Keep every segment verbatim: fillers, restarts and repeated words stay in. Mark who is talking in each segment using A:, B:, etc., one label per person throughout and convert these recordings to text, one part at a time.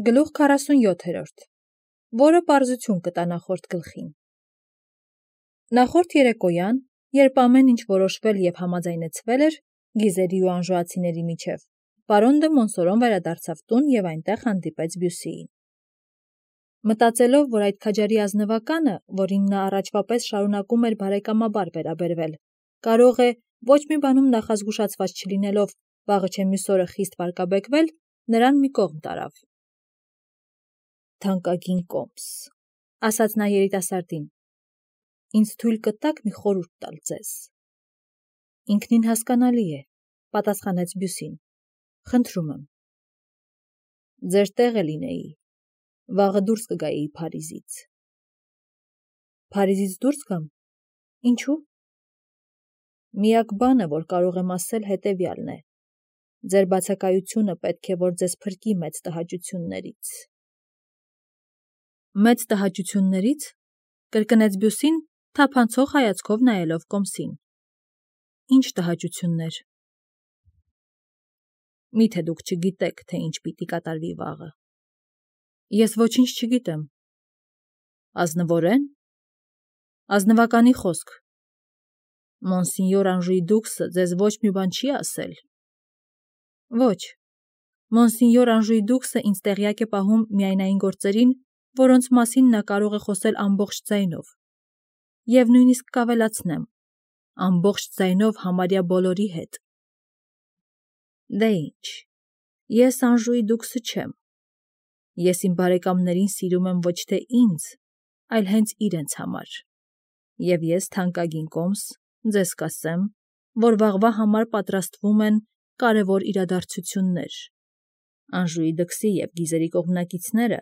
A: Գլուխ քառասունյոթերորդ, որը պարզություն կտա նախորդ գլխին։ Նախորդ երեկոյան, երբ ամեն ինչ որոշվել և համաձայնեցվել էր գիզերի ու անժուացիների միջև, պարոն դը Մոնսորոն վերադարձավ տուն և այնտեղ հանդիպեց Բյուսիին։ Մտածելով, որ այդ քաջարի ազնվականը, որին նա առաջվա պես շարունակում էր բարեկամաբար վերաբերվել, կարող է, ոչ մի բանում նախազգուշացված չլինելով, վաղը չէ մյուս օրը խիստ վարկաբեկվել, նրան մի կողմ տարավ։ Թանկագին կոմս, ասաց նա երիտասարդին, ինձ թույլ կտաք մի խորհուրդ տալ ձեզ։ Ինքնին հասկանալի է, պատասխանեց Բյուսին, խնդրում եմ։ Ձեր տեղը լինեի, վաղը դուրս կգայի Փարիզից։ Փարիզից դուրս գամ, ինչու՞։ Միակ բանը, որ կարող եմ ասել, հետևյալն է. ձեր բացակայությունը պետք է, որ ձեզ փրկի մեծ տհաճություններից։ Մեծ տհաճությունների՞ց, կրկնեց Բյուսին, թափանցող հայացքով նայելով կոմսին։ Ինչ տհաճություններ։ Միթե դուք չգիտեք, թե ինչ պիտի կատարվի վաղը։ Ես ոչինչ չգիտեմ։ Ազնվորեն։ Ազնվականի խոսք։ Մոնսինյոր Անժուի դուքսը ձեզ ոչ մի բան չի ասել։ Ոչ, Մոնսինյոր Անժուի դուքսը ինձ տեղյակ է պահում միայն այն գործերին, որոնց մասին նա կարող է խոսել ամբողջ ձայնով, և նույնիսկ կավելացնեմ, ամբողջ ձայնով համարյա բոլորի հետ։ Դե ինչ, ես Անժուի դուքսը չեմ, ես իմ բարեկամներին սիրում եմ ոչ թե ինձ, այլ հենց իրենց համար, և ես, թանկագին կոմս, ձեզ կասեմ, որ վաղվա համար պատրաստվում են կարևոր իրադարձություններ։ Անժուի դքսի և գիզերի կողմնակիցները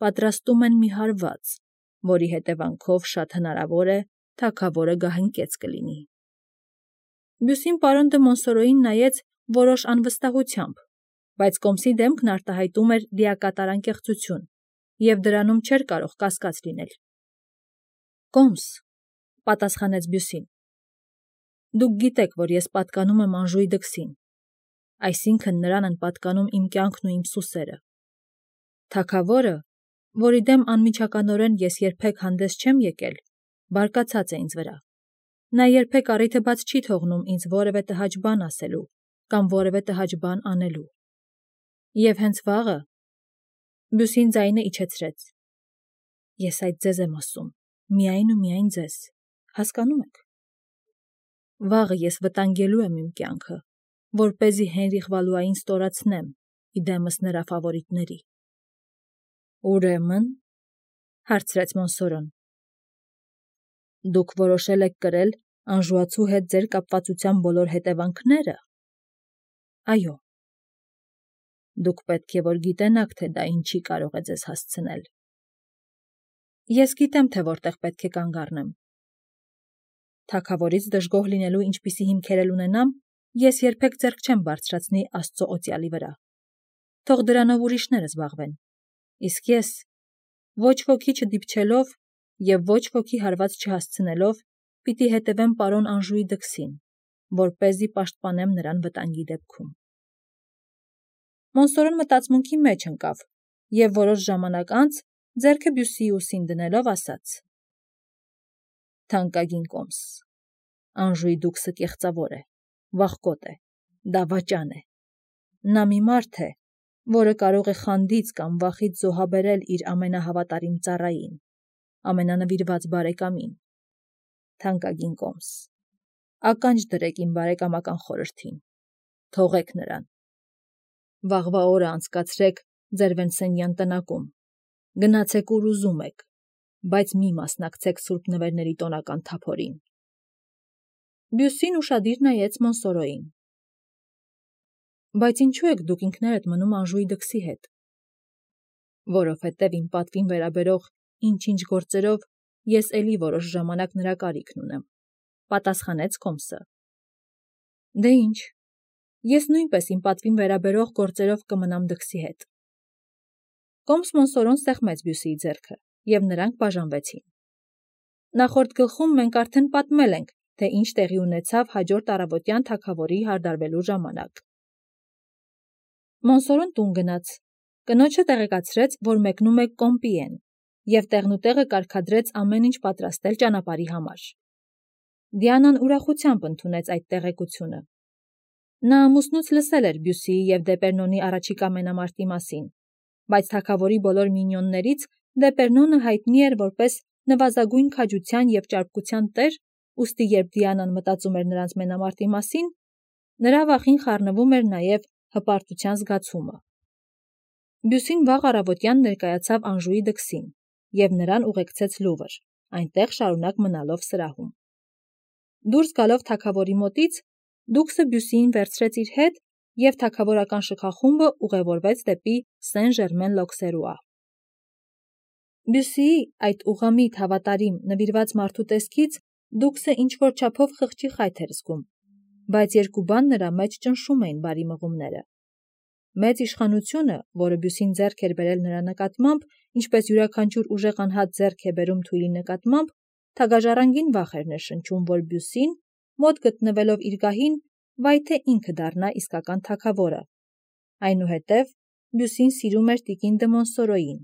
A: պատրաստում են մի հարված, որի հետևանքով շատ հնարավոր է թագավորը գահընկեց կլինի։ Բյուսին պարոն դը Մոնսորոյին նայեց որոշ անվստահությամբ, բայց կոմսի դեմքն արտահայտում էր լիակատար անկեղծություն, և դրանում չէր կարող կասկած լինել։ Կոմս, պատասխանեց Բյուսին, դուք գիտեք, որ ես պատկանում եմ Անժուի դքսին, այսինքն նրան են պատկանում իմ կյանքն ու իմ սուսերը։ Թագավորը, որի դեմ անմիջականորեն ես երբեք հանդես չեմ եկել, բարկացած է ինձ վրա։ Նա երբեք առիթը բաց չի թողնում ինձ որևէ տհաճ բան ասելու կամ որևէ տհաճ բան անելու։ Եվ հենց վաղը… Բյուսին ձայնը իջեցրեց։ Ես այդ ձեզ եմ ասում, միայն ու միայն ձեզ, հասկանո՞ւմ եք։ Վաղը ես վտանգելու եմ իմ կյանքը, որպեսզի Հենրիխ Վալուային ստորացնեմ իդեմս նրա ֆավորիտների։ Ուրեմն, հարցրեց Մոնսորոն, դուք որոշել եք կրել անժուացու հետ ձեր կապվածության բոլոր հետևանքները։ Այո։ Դուք պետք է որ գիտենաք, թե դա ինչի կարող է ձեզ հասցնել։ Ես գիտեմ, թե որտեղ պետք է կանգ առնեմ։ Թագավորից դժգոհ լինելու ինչպիսի հիմքեր էլ ունենամ, ես երբեք ձեռք չեմ բարձրացնի Աստծո օծյալի վրա։ Թող դրանով ուրիշները զբաղվեն։ Իսկ ես, ոչ ոքի չդիպչելով և ոչ ոքի հարված չհասցնելով, պիտի հետևեմ պարոն Անժուի դքսին, որպեսզի պաշտպանեմ նրան վտանգի դեպքում։ Մոնսորոն մտածմունքի մեջ ընկավ և որոշ ժամանակ անց ձեռքը Բյուսիի ուսին դնելով ասաց. Թանկագին կոմս, Անժուի դուքսը կեղծավոր է, վախկոտ է, դավաճան է։ Նա մի մարդ է, որը կարող է խանդից կամ վախից զոհաբերել իր ամենահավատարիմ ծառային, ամենանվիրված բարեկամին։ Թանկագին կոմս, ականջ դրեք իմ բարեկամական խորհրդին, թողեք նրան։ Վաղվա օրը անցկացրեք ձեր Վենսենյան տնակում, գնացեք ուր ուզում եք, բայց մի մասնակցեք սուրբ նվերների տոնական թափորին։ Բյուսին ուշադիր նայեց Մոնսորոյին։ Բայց ինչու եք դուք ինքներդ մնում Անժուի դքսի հետ։ Որովհետև իմ պատվին վերաբերող ինչ-ինչ գործերով ես էլի որոշ ժամանակ նրա կարիքն ունեմ, պատասխանեց կոմսը։ Դե ինչ, ես նույնպես իմ պատվին վերաբերող գործերով կմնամ դքսի հետ։ Կոմս Մոնսորոն սեղմեց Բյուսիի ձեռքը, և նրանք բաժանվեցին։ Նախորդ գլխում մենք արդեն պատմել ենք, թե ինչ տեղի ունեցավ հաջորդ առավոտյան թագավորի հարդարվելու ժամանակ։ Մոնսորոն տուն գնաց, Կնոջը տեղեկացրեց, որ մեկնում է Կոմպիեն, և տեղնուտեղը կարգադրեց ամեն ինչ պատրաստել ճանապարհի համար։ Դիանան ուրախությամբ ընդունեց այդ տեղեկությունը։ Նա ամուսնուց լսել էր Բյուսիի և Դեպերնոնի առաջիկա մենամարտի մասին, բայց թագավորի բոլոր մինյոններից Դեպերնոնը հայտնի էր որպես նվազագույն քաջության և ճարպկության տեր, ուստի երբ Դիանան մտածում էր նրանց մենամարտի մասին, նրա վախին խառնվում էր նաև հպարտության զգացումը։ Բյուսին վաղ առավոտյան ներկայացավ Անժուի դքսին և նրան ուղեկցեց Լուվր, այնտեղ շարունակ մնալով սրահում։ Դուրս գալով թագավորի մոտից, դուքսը Բյուսիին վերցրեց իր հետ և թագավորական շքախումբը ուղևորվեց դեպի Սեն-Ժերմեն-Լոքսերուա։ Բյուսիի այդ ուղղամիտ, հավատարիմ, նվիրված մարդու տեսքից դուքսը ինչ-որ չափով խղճի խայթ էր զգում, բայց երկու բան նրա մեջ ճնշում էին բարի մղումները։ Մեծ իշխանությունը, որը Բյուսին ձեռք էր բերել նրա նկատմամբ, ինչպես յուրաքանչյուր ուժեղ անհատ ձեռք է բերում թույլի նկատմամբ, թագաժառանգին վախ էր ներշնչում, որ Բյուսին, մոտ գտնվելով իր գահին, վայ թե ինքը դառնա իսկական թագավորը։ Այնուհետև Բյուսին սիրում էր տիկին դը Մոնսորոյին,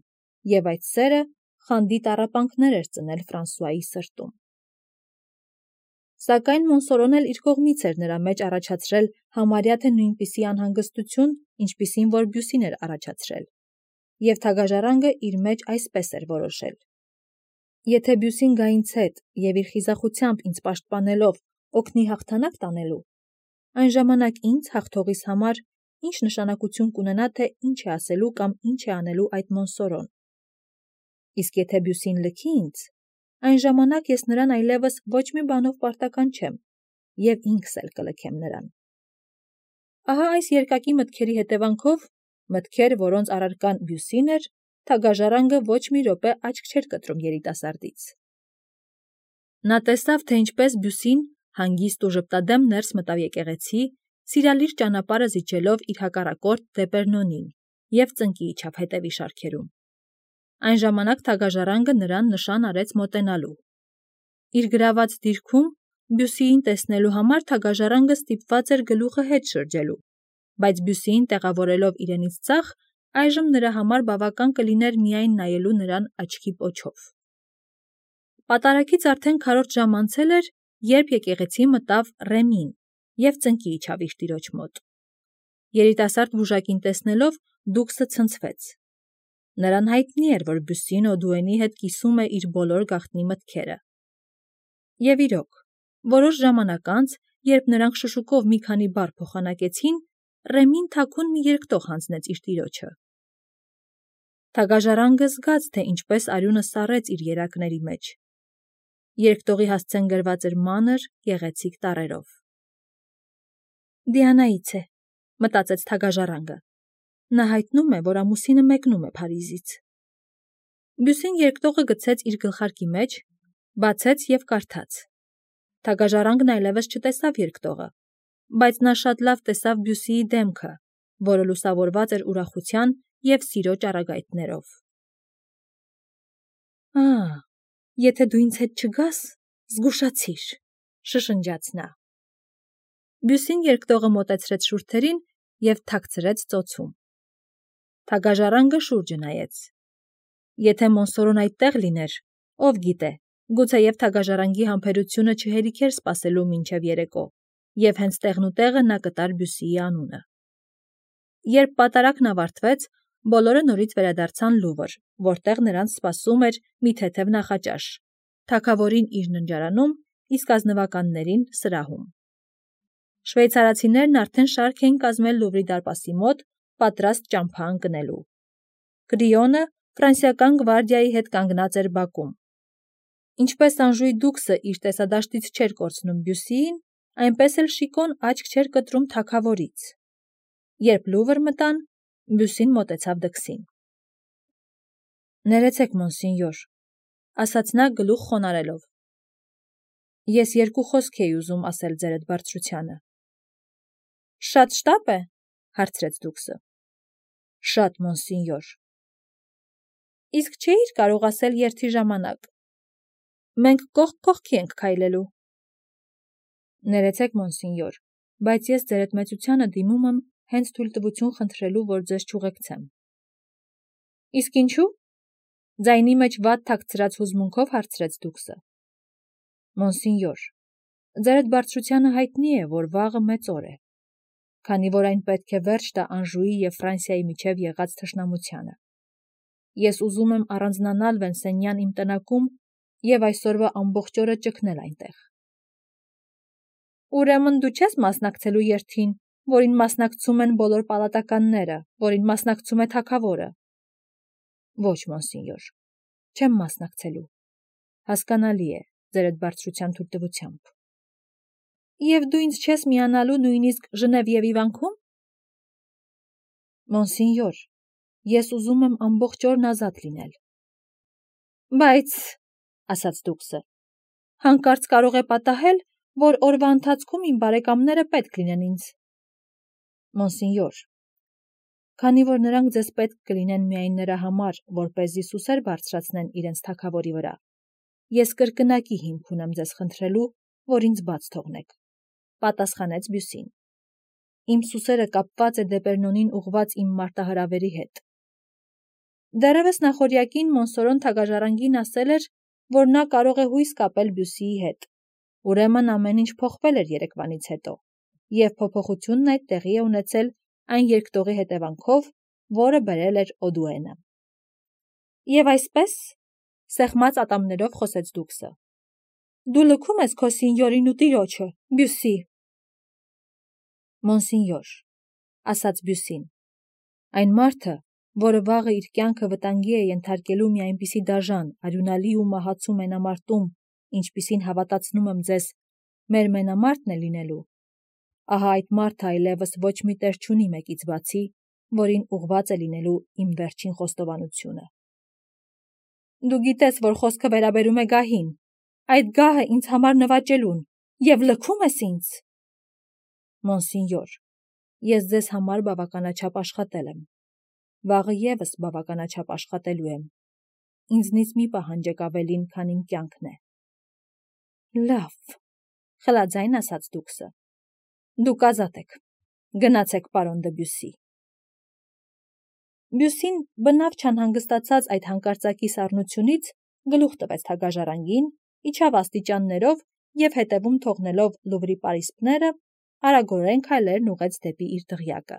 A: և այդ սերը խանդի տառապանքներ էր ծնել Ֆրանսուայի սրտում։ Սակայն Մոնսորոն էլ իր կողմից էր նրա մեջ առաջացրել համարյա թե նույնպիսի անհանգստություն, ինչպիսին որ Բյուսին էր առաջացրել, և թագաժառանգը իր մեջ այսպես էր որոշել. եթե Բյուսին գա ինձ հետ և իր խիզախությամբ ինձ պաշտպանելով օգնի հաղթանակ տանելու, այն ժամանակ ինձ հաղթողիս համար ինչ նշանակություն կունենա, թե ինչ է ասելու կամ ինչ է անելու այդ Մոնսորոն։ Իսկ եթե Բյուսին լքի ինձ, այն ժամանակ ես նրան այլևս ոչ մի բանով պարտական չեմ, և ինքս էլ կլքեմ նրան։ Ահա այս երկակի մտքերի հետևանքով, մտքեր, որոնց առարկան Բյուսին էր, թագաժառանգը ոչ մի րոպե աչք չէր կտրում երիտասարդից։ Նա տեսավ, թե ինչպես Բյուսին հանգիստ ու ժպտադեմ ներս մտավ եկեղեցի, սիրալիր ճանապարհը զիջելով իր հակառակորդ Դեպերնոնին, և ծնկի իջավ հետևի շարքերում։ Այն ժամանակ թագաժառանգը նրան նշան արեց մոտենալու։ Իր գրաված դիրքում Բյուսիին տեսնելու համար թագաժառանգը ստիպված էր գլուխը հետ շրջելու, բայց Բյուսիին տեղավորելով իրենից ձախ, այժմ նրա համար բավական կլիներ միայն նայելու նրան աչքի պոչով։ Պատարագից արդեն քառորդ ժամ անցել էր, երբ եկեղեցի մտավ Ռեմին և ծնկի իջավ իր տիրոջ մոտ։ Երիտասարդ վուժակին տեսնելով դուքսը ցնցվեց։ Նրան հայտնի էր, որ Բյուսին Օդուենի հետ կիսում է իր բոլոր գաղտնի մտքերը։ Եվ իրոք, որոշ ժամանակ անց, երբ նրանք շշուկով մի քանի բառ փոխանակեցին, Ռեմին թաքուն մի երկտող հանձնեց իր տիրոջը։ Թագաժառանգը զգաց, թե ինչպես արյունը սառեց իր երակների մեջ։ Երկտողի հասցեն գրված էր մանր, գեղեցիկ տառերով։ Դիանայից է, մտածեց թագաժառանգը։ Նա հայտնում է, որ ամուսինը մեկնում է Փարիզից։ Բյուսին երկտողը գցեց իր գլխարկի մեջ, բացեց և կարդաց։ Թագաժառանգն այլևս չտեսավ երկտողը, բայց նա շատ լավ տեսավ Բյուսիի դեմքը, որը լուսավորված էր ուրախության և սիրո ճառագայթներով։ Ա՜, եթե դու ինձ հետ չգաս, զգուշացիր, շշնջաց նա։ Բյուսին երկտողը մոտեցրեց շուրթերին և թաքցրեց ծոցում։ Թագաժառանգը շուրջը նայեց։ Եթե Մոնսորոն այդտեղ լիներ, ով գիտե, գուցեև թագաժառանգի համբերությունը չհերիքեր սպասելու մինչև երեկո, և հենց տեղնուտեղը նա կտար Բյուսիի անունը։ Երբ պատարագն ավարտվեց, բոլորը նորից վերադարձան Լուվր, որտեղ նրանց սպասում էր մի թեթև նախաճաշ, թագավորին իր ննջարանում, իսկ ազնվականներին սրահում։ Շվեյցարացիներն արդեն շարք էին կազմել Լուվրի դարպասի մոտ, պատրաստ ճամփա ընկնելու։ Կրիոնը ֆրանսիական գվարդիայի հետ կանգնած էր բակում։ Ինչպես Անժուի դուքսը իր տեսադաշտից չէր կորցնում Բյուսիին, այնպես էլ Շիկոն աչք չէր կտրում թագավորից։ Երբ Լուվր մտան, Բյուսին մոտեցավ դքսին։ Ներեցեք, մոնսինյոր, ասաց նա գլուխ խոնարհելով։ Ես երկու խոսք էի ուզում ասել ձերդ բարձրությանը։ Շատ շտապ է, հարցրեց դուքսը։ Շատ, մոնսինյոր։ Իսկ չէի՞ր կարող ասել երթի ժամանակ։ Մենք կողք կողքի ենք քայլելու։ Ներեցեք, մոնսինյոր, բայց ես ձեր հետ մեծությանը դիմում եմ հենց թույլտվություն խնդրելու, որ ձեզ չուղեկցեմ։ Իսկ ինչու՞։ Ձայնի մեջ վատ թաքցրած հուզմունքով հարցրեց դուքսը։ Մոնսինյոր, ձերդ բարձրությանը հայտնի է, որ վաղը մեծ օր է, քանի որ այն պետք է վերջ տա Անժուի և Ֆրանսիայի միջև եղած թշնամությանը։ Ես ուզում եմ առանձնանալ Վենսենյան իմ տնակում և այսօրվա ամբողջ օրը ճգնել այնտեղ։ Ուրեմն դու չես մասնակցելու երթին, որին մասնակցում են բոլոր պալատականները, որին մասնակցում է թագավորը։ Ոչ, մոնսինյոր, չեմ մասնակցելու։ Հասկանալի է, ձերդ բարձրության թույլտվությամբ։ Եվ դու ինձ չես միանալու նույնիսկ Ժնևիևի վանքում։ Մոնսինյոր, ես ուզում եմ ամբողջ օրն ազատ լինել։ Բայց, ասաց դուքսը, հանկարծ կարող է պատահել, որ օրվա ընթացքում իմ բարեկամները պետք լինեն ինձ։ Մոնսինյոր, քանի որ նրանք ձեզ պետք կլինեն միայն նրա համար, որպեսզի սուսեր բարձրացնեն իրենց թագավորի վրա, ես կրկնակի հիմք ունեմ ձեզ խնդրելու, որ ինձ բաց թողնեք, պատասխանեց Բյուսին։ Իմ սուսերը կապված է Դեպերնոնին ուղված իմ մարտահրավերի հետ։ Դեռևս նախօրյակին Մոնսորոն թագաժառանգին ասել էր, որ նա կարող է հույս կապել Բյուսիի հետ։ Ուրեմն ամեն ինչ փոխվել էր երեկվանից հետո, և փոփոխությունն այդ տեղի է ունեցել այն երկտողի հետևանքով, որը բերել էր Օդուենը։ Եվ այսպես, սեղմած ատամներով խոսեց դուքսը, դու լքում ես քո սինյորին ու տիրոջը, Բյուսի։ Մոնսինյոր, ասաց Բյուսին, այն մարդը, որը վաղը իր կյանքը վտանգի է ենթարկելու մի այնպիսի դաժան, արյունալի ու մահացու մենամարտում, ինչպիսին հավատացնում եմ ձեզ, մեր մենամարտն է լինելու, ահա այդ մարդը այլևս ոչ մի տեր չունի մեկից բացի, որին ուղված է լինելու իմ վերջին խոստովանությունը։ Դու գիտես, որ խոսքը վերաբերում է գահին, այդ գահը ինձ համար նվաճելուն, և լքում ես ինձ։ Մոնսինյոր, ես ձեզ համար բավականաչափ աշխատել եմ, վաղը ևս բավականաչափ աշխատելու եմ, ինձնից մի պահանջեք ավելին, քան իմ կյանքն է։ Լավ, խլաձայն ասաց դուքսը, դուք ազատ եք, գնացեք պարոն դը Բյուսի։ Բյուսին բնավ չանհանգստացած այդ հանկարծակի սառնությունից գլուխ տվեց թագաժառանգին, իջավ աստիճաններով և հետևում թողնելով Լուվրի պարիսպները, արագորեն քայլերն ուղղեց դեպի իր դղյակը։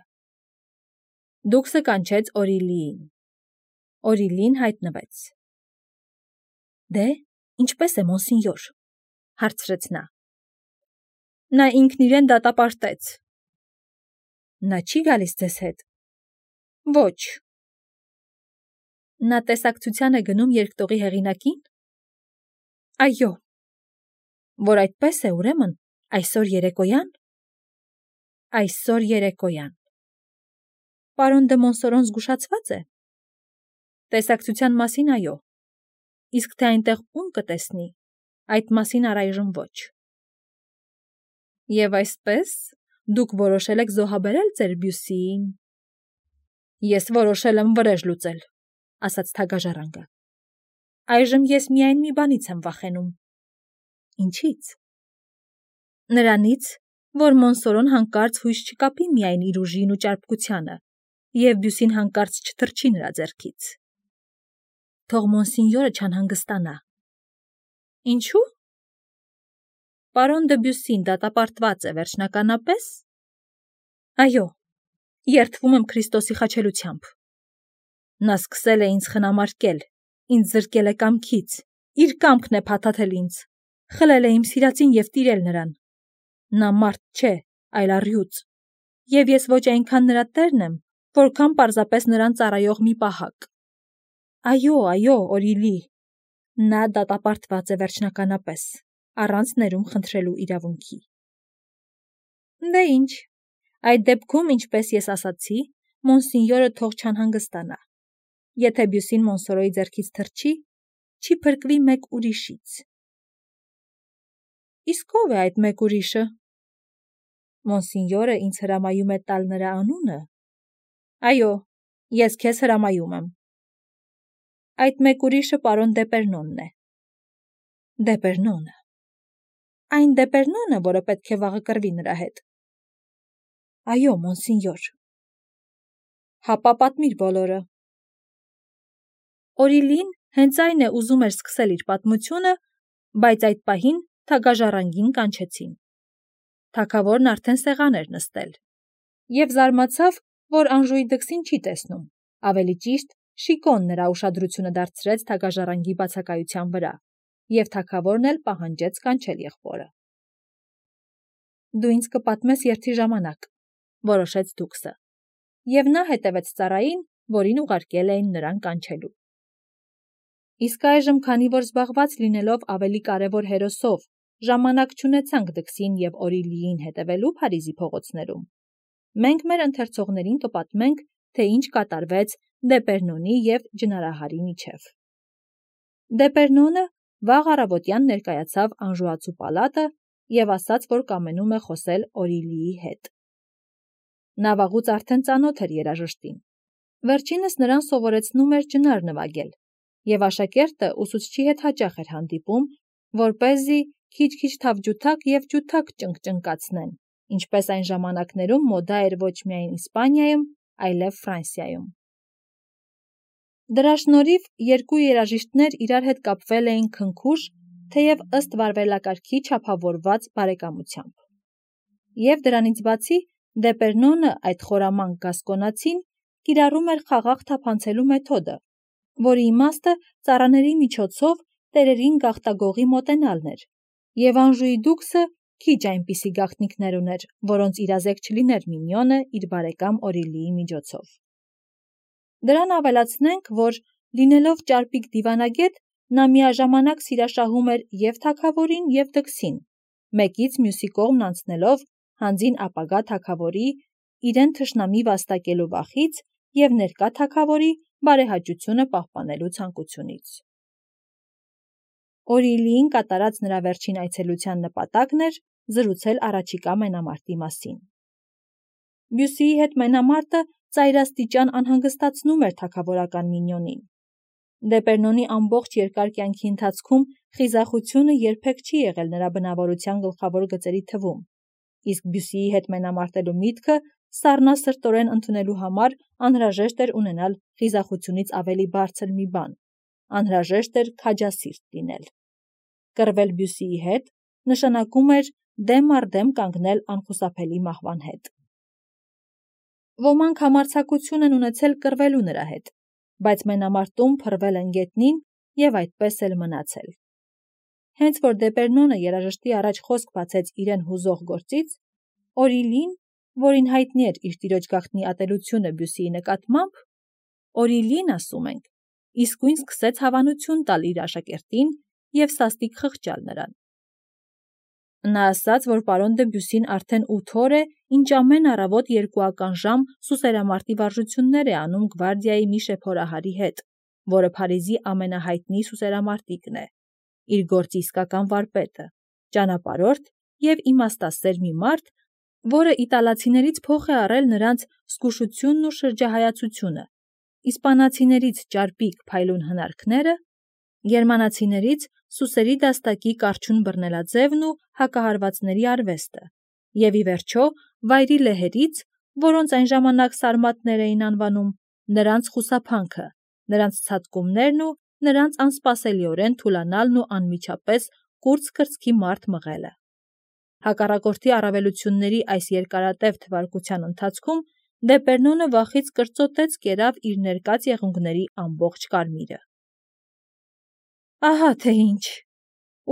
A: Դուքսը կանչեց Օրիլիին։ Օրիլին հայտնվեց։ Դե, ինչպես է, մոնսինյոր, հարցրեց նա։ Նա ինքն իրեն դատապարտեց։ Նա չի գալիս ձեզ հետ։ Ոչ։ Նա տեսակցության է գնում երկտողի հեղինակին։ Այո։ Որ այդպես է, ուրեմն, այսօր երեկոյան։ Այսօր երեկոյան։ Պարոն դը Մոնսորոն զգուշացված է։ Տեսակցության մասին այո։ Իսկ թե այնտեղ ում կտեսնի, այդ մասին առայժմ ոչ։ Եվ այսպես, դուք որոշել եք զոհաբերել ձեր Բյուսիին։ Ես որոշել եմ վրեժ լուծել, ասաց թագաժառանգը։ Այժմ ես միայն մի բանից եմ վախենում։ Ինչից։ Նրանից, որ Մոնսորոն հանկարծ հույս չկապի միայն իր ուժին ու ճարպկությանը, և Բյուսին հանկարծ չթռչի նրա ձեռքից։ Թող մոնսինյորը չանհանգստանա։ Ինչու։ Պարոն դը Բյուսին դատապարտված է վերջնականապես։ Այո, երդվում եմ Քրիստոսի խաչելությամբ։ Նա սկսել է ինձ խնամարկել, ինձ զրկել է կամքից, իր կամքն է փաթաթել ինձ, խլել է իմ սիրածին և տիրել նրան։ Նա մարդ չէ, այլ առյուծ, և ես ոչ այնքան նրա տերն եմ, որքան պարզապես նրան ծառայող մի պահակ։ Այո, այո, Օրիլի, նա դատապարտված է վերջնականապես, առանց ներում խնդրելու իրավունքի։ Դե ինչ, այդ դեպքում, ինչպես ես ասացի, մոնսինյորը թող չանհանգստանա։ Եթե Բյուսին Մոնսորոյի ձեռքից թռչի, չի փրկվի մեկ ուրիշից։ Իսկ ո՞վ է այդ մեկ ուրիշը։ Մոնսինյորը ինձ հրամայում է տալ նրա անունը։ Այո, ես քեզ հրամայում եմ։ Այդ մեկ ուրիշը պարոն Դեպերնոնն է։ Դեպերնոնը։ Այն Դեպերնոնը, որը պետք է վաղը կռվի նրա հետ։ Այո, մոնսինյոր։ Հապա պատմիր բոլորը։ Օրիլին հենց այն է ուզում էր սկսել իր պատմությունը, բայց այդ պահին թագաժառանգին կանչեցին։ Թագավորն արդեն սեղան էր նստել և զարմացավ, որ Անժուի դքսին չի տեսնում, ավելի ճիշտ Շիկոն նրա ուշադրությունը դարձրեց թագաժառանգի բացակայության վրա, և թագավորն էլ պահանջեց կանչել եղբորը։ «Դու ինձ կպատմես երթի ժամանակ», որոշեց դուքսը, և նա հետևեց ծառային, որին ուղարկել էին նրան կանչելու։ Իսկ այժմ, քանի որ զբաղված լինելով ավելի կարևոր հերոսով, ժամանակ չունեցանք դքսին և Օրիլիին հետևելու Փարիզի փողոցներում, մենք մեր ընթերցողներին կպատմենք, թե ինչ կատարվեց Դեպերնոնի և ջնարահարի միջև։ Դեպերնոնը վաղ առավոտյան ներկայացավ անժուացու պալատը և ասաց, որ կամենում է խոսել Օրիլիի հետ։ Նա վաղուց արդեն ծանոթ էր երաժշտին։ Վերջինս նրան սովորեցնում էր ջնար նվագել, և աշակերտը ուսուցչի հետ հաճախ էր հանդիպում, որպեսզի քիչ-քիչ թավջութակ և ջութակ ճնգճնգացնեն, ինչպես այն ժամանակներում մոդա էր ոչ միայն Իսպանիայում, այլև Ֆրանսիայում։ Դրա շնորհիվ երկու երաժիշտներ իրար հետ կապվել էին քնքուշ, թեև ըստ վարվելակարգի չափավորված բարեկամությամբ։ Եվ դրանից բացի Դեպերնոնը, այդ խորամանկ գասկոնացին, կիրառում էր խաղաղ թափանցելու մեթոդը, որի իմաստը ծառաների միջոցով տերերին գաղտագողի մոտենալն էր, և Անժուի դուքսը քիչ այնպիսի գաղտնիքներ ուներ, որոնց իրազեկ չլիներ Մինյոնը իր բարեկամ Օրիլիի միջոցով։ Դրան ավելացնենք, որ լինելով ճարպիկ դիվանագետ, նա միաժամանակ սիրաշահում էր և թագավորին, և դքսին, մեկից մյուսի կողմն անցնելով հանձին ապագա թագավորի իրեն թշնամի վաստակելու վախից և ներկա թագավորի բարեհաճությունը պահպանելու ցանկությունից։ Օրիլիին կատարած նրա վերջին այցելության նպատակն էր զրուցել առաջիկա մենամարտի մասին։ Բյուսիի հետ մենամարտը ծայրաստիճան անհանգստացնում էր թագավորական Մինյոնին։ Դեպերնոնի ամբողջ երկար կյանքի ընթացքում խիզախությունը երբեք չի եղել նրա բնավորության գլխավոր գծերի թվում, իսկ Բյուսիի հետ մենամարտելու միտքը սառնասրտորեն ընդունելու համար անհրաժեշտ էր ունենալ խիզախությունից ավելի բարձր մի բան, անհրաժեշտ էր քաջասիրտ լինել։ Կռվել Բյուսիի հետ նշանակում էր դեմ առ դեմ կանգնել անխուսափելի մահվան հետ։ Ոմանք համարձակություն են ունեցել կռվելու նրա հետ, բայց մենամարտում փռվել են գետնին և այդպես էլ մնացել։ Հենց որ Դեպերնոնը երաժշտի առաջ խոսք բացեց իրեն հուզող գործից, Օրիլին, որին հայտնի էր իր տիրոջ գաղտնի ատելությունը Բյուսիի նկատմամբ, Օրիլին, ասում ենք, իսկույն սկսեց հավանություն տալ իր աշակերտին և սաստիկ խղճալ նրան։ Նա ասաց, որ պարոն Դեբյուսին արդեն ութ օր է, ինչ ամեն առավոտ երկուական ժամ սուսերամարտի վարժություններ է անում գվարդիայի մի շեփորահարի հետ, որը Փարիզի ամենահայտնի սուսերամարտիկն է, իր գործի իսկական վարպետը, ճանապարհորդ և իմաստասեր մի մարդ, որը իտալացիներից փոխ է առել նրանց զգուշությունն ու շրջահայացությունը, իսպանացիներից ճարպիկ փայլուն հնարքները, գերմանացիներից սուսերի դաստակի կառչուն բռնելաձևն ու հակահարվածների արվեստը, և ի վերջո վայրի լեհերից, որոնց այն ժամանակ սարմատներ էին անվանում, նրանց խուսափանքը, նրանց ցատկումներն ու նրանց անսպասելիորեն թուլանալն ու անմիջապես կուրծ կրծքի մարդ մղելը։ Հակառակորդի առավելությունների այս երկարատև թվարկության ընթացքում Դեպերնոնը վախից կրծոտեց կերավ իր ներկած եղունգների ամբողջ կարմիրը։ «Ահա թե ինչ,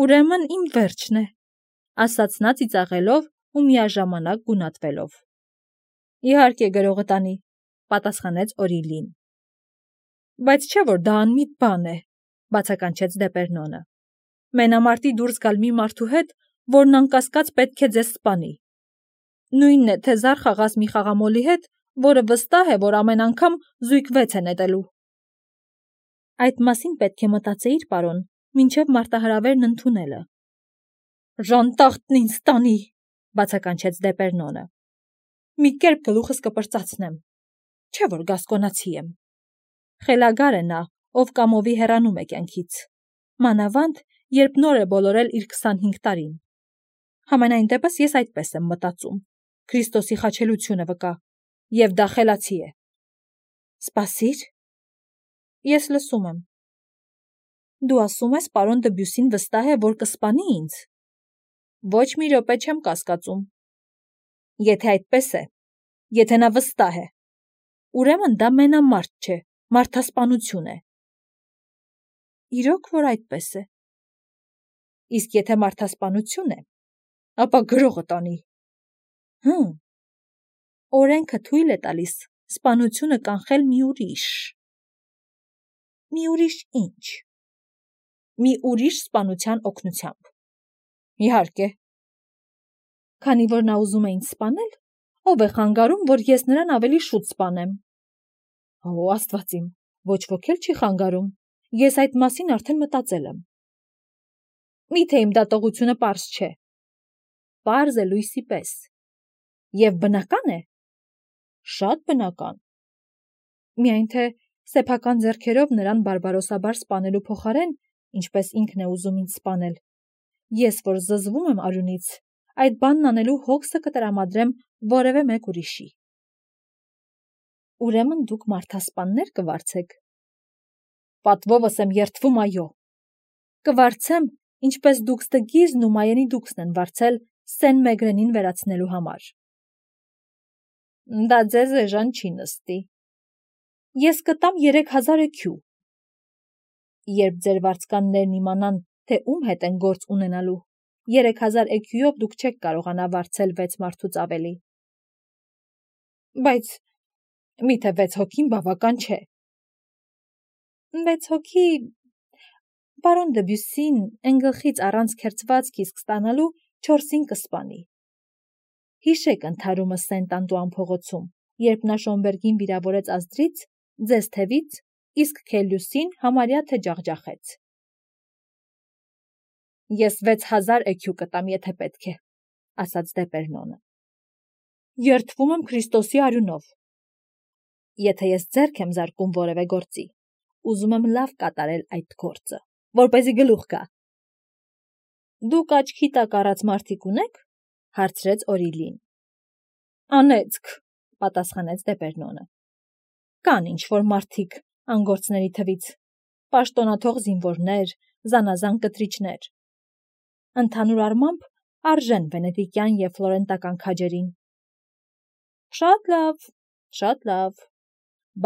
A: ուրեմն իմ վերջն է», ասաց նա ծիծաղելով ու միաժամանակ գունատվելով։ «Իհարկե, գրողը տանի», պատասխանեց Օրիլին։ «Բայց չէ՞ որ դա անմիտ բան է», բացականչեց Դեպերնոնը։ «Մենամարտի դուրս գալ մի մարդու հետ, որն անկասկած պետք է ձեզ սպանի։ Նույնն է, թե զար խաղաս մի խաղամոլի հետ, որը վստահ է, որ ամեն անգամ զույգ վեց է նետելու»։ «Այդ մասին պետք է մտածեիր, պարոն, մինչև մարտահրավերն ընդունելը»։ «Ժանտախտն ինձ տանի», բացականչեց Դեպերնոնը։ «Մի կերպ գլուխս կպրծացնեմ, չէ՞ որ գասկոնացի եմ։ Խելագար է նա, ով կամովի հեռանում է կյանքից, մանավանդ, երբ նոր է բոլորել իր քսանհինգ տարին։ Համենայն դեպս ես այդպես եմ մտածում, Քրիստոսի խաչելությունը վկա, և դա խելացի է»։ «Սպասիր»։ «Ես լսում եմ»։ Դու ասում ես, պարոն Դբյուսին վստահ է, որ կսպանի ինձ։ Ոչ մի րոպե չեմ կասկածում։ Եթե այդպես է, եթե նա վստահ է, ուրեմն դա մենամարտ չէ, մարդասպանություն է։ Իրոք որ այդպես է։ Իսկ եթե մարդասպանություն է, ապա գրողը տանի։ Հմ։ Օրենքը թույլ է տալիս սպանությունը կանխել մի ուրիշ։ Մի ուրիշ ինչ։ Մի ուրիշ սպանության օգնությամբ։ Իհարկե։ Քանի որ նա ուզում է ինձ սպանել, ով է խանգարում, որ ես նրան ավելի շուտ սպանեմ։ Օ, Աստված իմ, ոչ ոք էլ չի խանգարում։ Ես այդ մասին արդեն մտածել եմ։ Միթե իմ դատողությունը պարզ չէ։ Պարզ է լույսի պես։ Եվ բնական է։ Շատ բնական։ Միայն թե սեփական ձեռքերով նրան բարբարոսաբար սպանելու փոխարեն, ինչպես ինքն է ուզում ինձ սպանել, ես որ զզվում եմ արյունից, այդ բանն անելու հոգսը կտրամադրեմ որևէ մեկ ուրիշի։ Ուրեմն դուք մարդասպաններ կվարձեք։ Պատվովս եմ երդվում, այո։ Կվարձեմ, ինչպես դուք Ստգիզն ու Մայենի դուքսն են վարձել Սեն Մեգրենին վերացնելու համար։ Դա ձեզ էժան չի նստի։ Ես կտամ երեք հազար էքյու։ Երբ ձեր վարձկաններն իմանան, թե ում հետ են գործ ունենալու, երեք հազար էքյուով դուք չեք կարողանա վարձել վեց մարդուց ավելի։ Բայց միթե վեց հոգին բավական չէ։ Վեց հոգի, պարոն Դբյուսին են գլխից առանց քերծվածք իսկ ստանալու չորսին կսպանի։ Հիշեք ընդհարումը Սենտ Անտուան փողոցում, երբ նա Շոմբերգին վիրավորեց ազդրից, ձեզ թևից, իսկ Քելլյուսին համարյա թե ջախջախեց։ Ես վեց հազար էքյու կտամ, եթե պետք է, ասաց Դեպերնոնը։ Երդվում եմ Քրիստոսի արյունով։ Եթե ես ձեռք եմ զարկում որևէ գործի, ուզում եմ լավ կատարել այդ գործը, որպեսզի գլուխ գա։ Դուք աչքի տակ առած մարդիկ ունեք, հարցրեց Օրիլին։ Անեծք, պատասխանեց Դեպերնոնը։ Կան ինչ-որ մարդիկ անգործների թվից, պաշտոնաթող զինվորներ, զանազան կտրիչներ։ Ընդհանուր առմամբ արժեն վենետիկյան և ֆլորենտական քաջերին։ Շատ լավ, շատ լավ,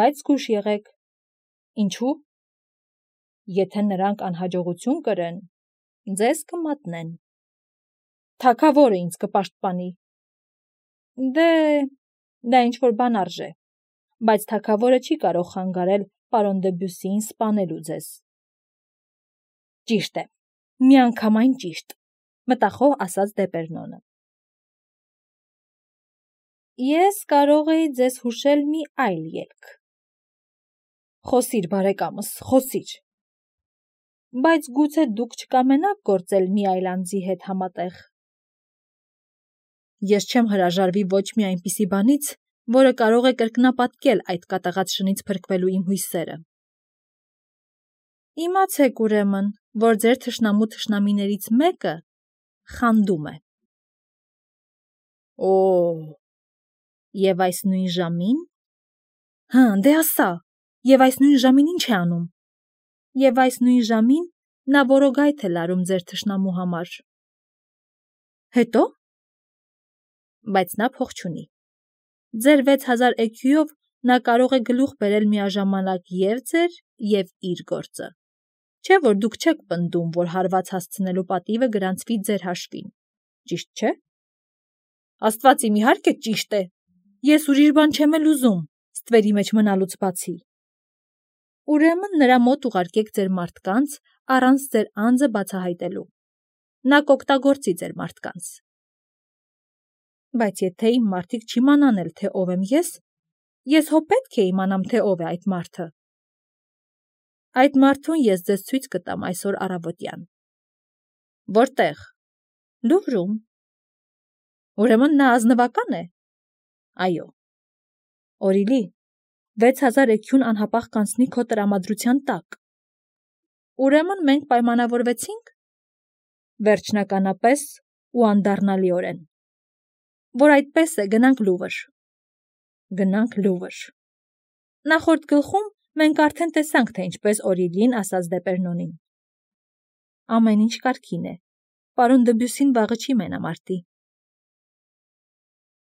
A: բայց զգույշ եղեք։ Ինչու՞։ Եթե նրանք անհաջողություն կրեն, ձեզ կմատնեն։ Թագավորը ինձ կպաշտպանի։ Դե, դա ինչ-որ բան արժե, բայց թագավորը չի կարող խանգարել պարոն Դբյուսիին սպանելու ձեզ։ Ճիշտ է, միանգամայն ճիշտ, մտախոհ ասաց Դեպերնոնը։ Ես կարող էի ձեզ հուշել մի այլ ելք։ Խոսիր, բարեկամս, խոսիր։ Բայց գուցե դուք չկամենաք գործել մի այլ անձի հետ համատեղ։ Ես չեմ հրաժարվի ոչ մի այնպիսի բանից, որը կարող է կրկնապատկել այդ կատաղած շնից փրկվելու իմ հույսերը։ Իմացեք ուրեմն, որ ձեր թշնամու թշնամիներից մեկը խանդում է։ Օ, և այս նույն ժամին։ Հը, դե ասա, և այս նույն ժամին ինչ է անում։ Եվ այս նույն ժամին նա որոգայթ է լարում ձեր թշնամու համար։ Հետո։ Բայց նա փող չունի։ Ձեր վեց հազար էքյուով նա կարող է գլուխ բերել միաժամանակ և ձեր, և իր գործը։ Չէ՞ որ դուք չեք պնդում, որ հարված հասցնելու պատիվը գրանցվի ձեր հաշվին, ճիշտ չէ։ Աստված իմ, իհարկե ճիշտ է։ Ես ուրիշ բան չեմ էլ ուզում, ստվերի մեջ մնալուց բացի։ Ուրեմն նրա մոտ ուղարկեք ձեր մարդկանց առանց ձեր անձը բացահայտելու։ Նա կօգտագործի ձեր մարդկանց։ Բայց եթե իմ մարդիկ չիմանան էլ, թե ով եմ ես, ես հո պետք է իմանամ, թե ով է այդ մարդը։ Այդ մարդուն ես ձեզ ցույց կտամ այսօր առավոտյան։ Որտե՞ղ։ Լուվրում։ Ուրեմն նա ազնվակա՞ն է։ Այո։ Օրիլի, վեց հազար էքյուն անհապաղ կանցնի քո տրամադրության տակ։ Ուրեմն մենք պայմանավորվեցինք։ Վերջնականապես ու անդառնալիորեն։ Որ այդպես է, գնանք Լուվր։ Գնանք Լուվր։ Նախորդ գլխում մենք արդեն տեսանք, թե ինչպես Օրիլին ասաց Դեպերնոնին։ Ամեն ինչ կարգին է։ Պարոն Դբյուսին վաղը չի մենամարտի։